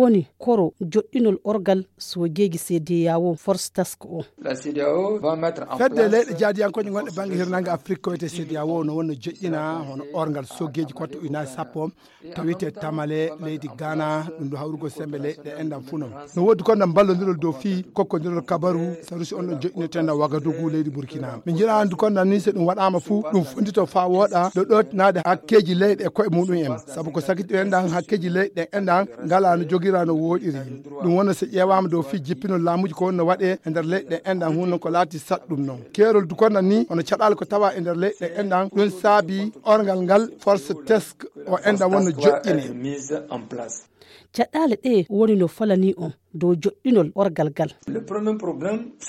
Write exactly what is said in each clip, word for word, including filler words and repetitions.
woni koro joɗɗinol orgal soogeeji C D A O force task o. Fedde leyɗe jaadiyankoje gonɗe bannge hirnange Afrik ko wiyetee C D A O no wonno joɗɗina hono orgal soogeeji kotte ujunaaji sappo tawite tamale leydi Ghana, ɗum ɗo hawrugol sembe leyɗe enɗan fuu non. No woodi kon ɗan ballondirol dow fii kokkondirol kabaru sarusi on ɗon joɗɗineteenɗan Wagadugu leydi Burkina. Min njiɗa anndu kon ɗan ni so ɗum waɗaama fuu ɗum fondito faa wooɗa ɗo ɗo naade hakkeeji leyɗe e koye muɗum en. Sabu ko sakiti enɗan hakkeeji leyɗe enɗan ngala no jogira no wooɗiri. Ɗum wonno so ƴeewaama dow fii jippinol laamuuji ko wonno waɗee e nder leyɗe enɗan huno ko laati saɗɗum non. Keerol du kon ɗan ni hono caɗaale ko tawa e nder leyɗe enɗan ɗum saabi orgal ngal force task o enɗan wonno joɗɗine. Caɗaale ɗe woni no falanii on dow joɗɗinol orgal ngal.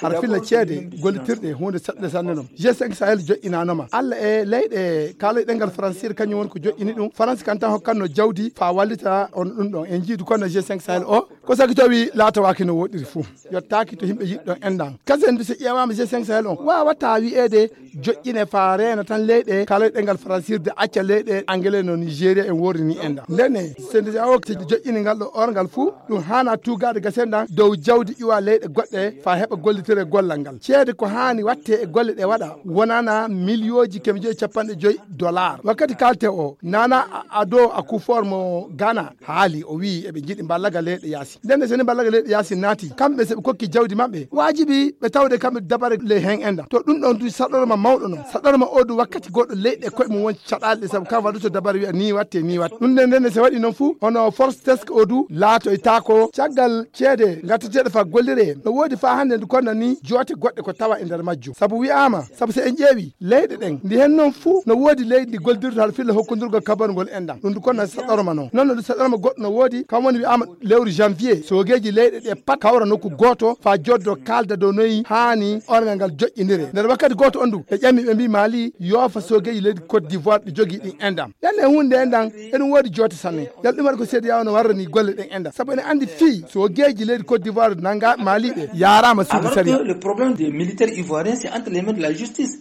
Har filla ceede gollitirɗe huunde seɗɗa sanne non. G cinq Sahel joɗɗinaanoma. Alla e leyɗe kaaloy ɗengal Faransiire kañum woni ko joɗɗini ɗum. Faransi kan tan hokkanno jawdi faa wallita on ɗum ɗon. En njii du kon no G cinq Sahel o ko sagi tawi laatawaaki no woɗɗiri fuu. Yottaaki to yimɓe yiɗɗon enɗan. Kasen du so ƴeewaama G cinq Sahel on waawataa wi'eede joƴƴine faa reena tan leyɗe kaalay ɗengal faransiire de acca leyɗe angele no Nigeria en woori ni enɗan. Ndenne, C D A O joƴƴini ngal ɗo orgal fuu, ɗum haanaa tuugaade gasenɗan dow jawdi iwa leyɗe goɗɗe faa heɓa gollitere gollal ngal. Ceede ko haani waɗtee e golle ɗe waɗa wonana miliyooji keme joyi e capanɗe joyi dollar. Wakkati kaalte o, Nana Addo Akufo-Addo mo Ghana haali, o wi'i eɓe njiɗi mballaga leyɗe yaasi. Ndenne so ni mballaga leyɗe yaasi naati, kamɓe so ɓe kokki jawdi maɓɓe, waajibi ɓe tawde kamɓe dabare ley hen enɗan. To ɗum ɗon du saɗorma mawɗo non. Saɗorma o du wakkati goɗɗo leyɗe koye mum won caɗaale ɗe sabu kam waɗuto dabare wi'a ni watte, ni watte. Ɗum nden ndenne so waɗi non fuu, hono force task o du laatoytaako caggal ceede ngatteteeɗe faa golliree. No woodi faa hannde ndu konna ni joote goɗɗe ko tawa e nder majjum. Sabu wi'aama, sabu so en ƴeewi, leyɗe ɗen, ndi hen non fuu no woodi leydi ndi gollidirta hara filla hokkundurgol kabarugol enɗan. Ɗum du konna saɗorma non. Non no du saɗorma goɗɗo no woodi, kam woni wi'aama lewru janvier, soogeeji leyɗe ɗe pat kawra nokku gooto, faa joddo kaalda dow noyi haani orngal ngal joƴƴiniree. Nder wakkati gooto on du, ɓe ƴami ɓe mbii Mali yoofa soogeeji leydi Côte d'Ivoire ɗi jogii ɗin enɗan. Nden e huunde enɗan, eɗum woodi joote sanne. Yalla ɗum waɗi ko C D A O no warra ni golle ɗen enɗan. Sabu ene anndi fii soogeeji leydi Côte d'Ivoire nanga Mali ɓe yaaraama suudu sariya. Le problème des militaires ivoiriens, c'est entre les mains de la justice.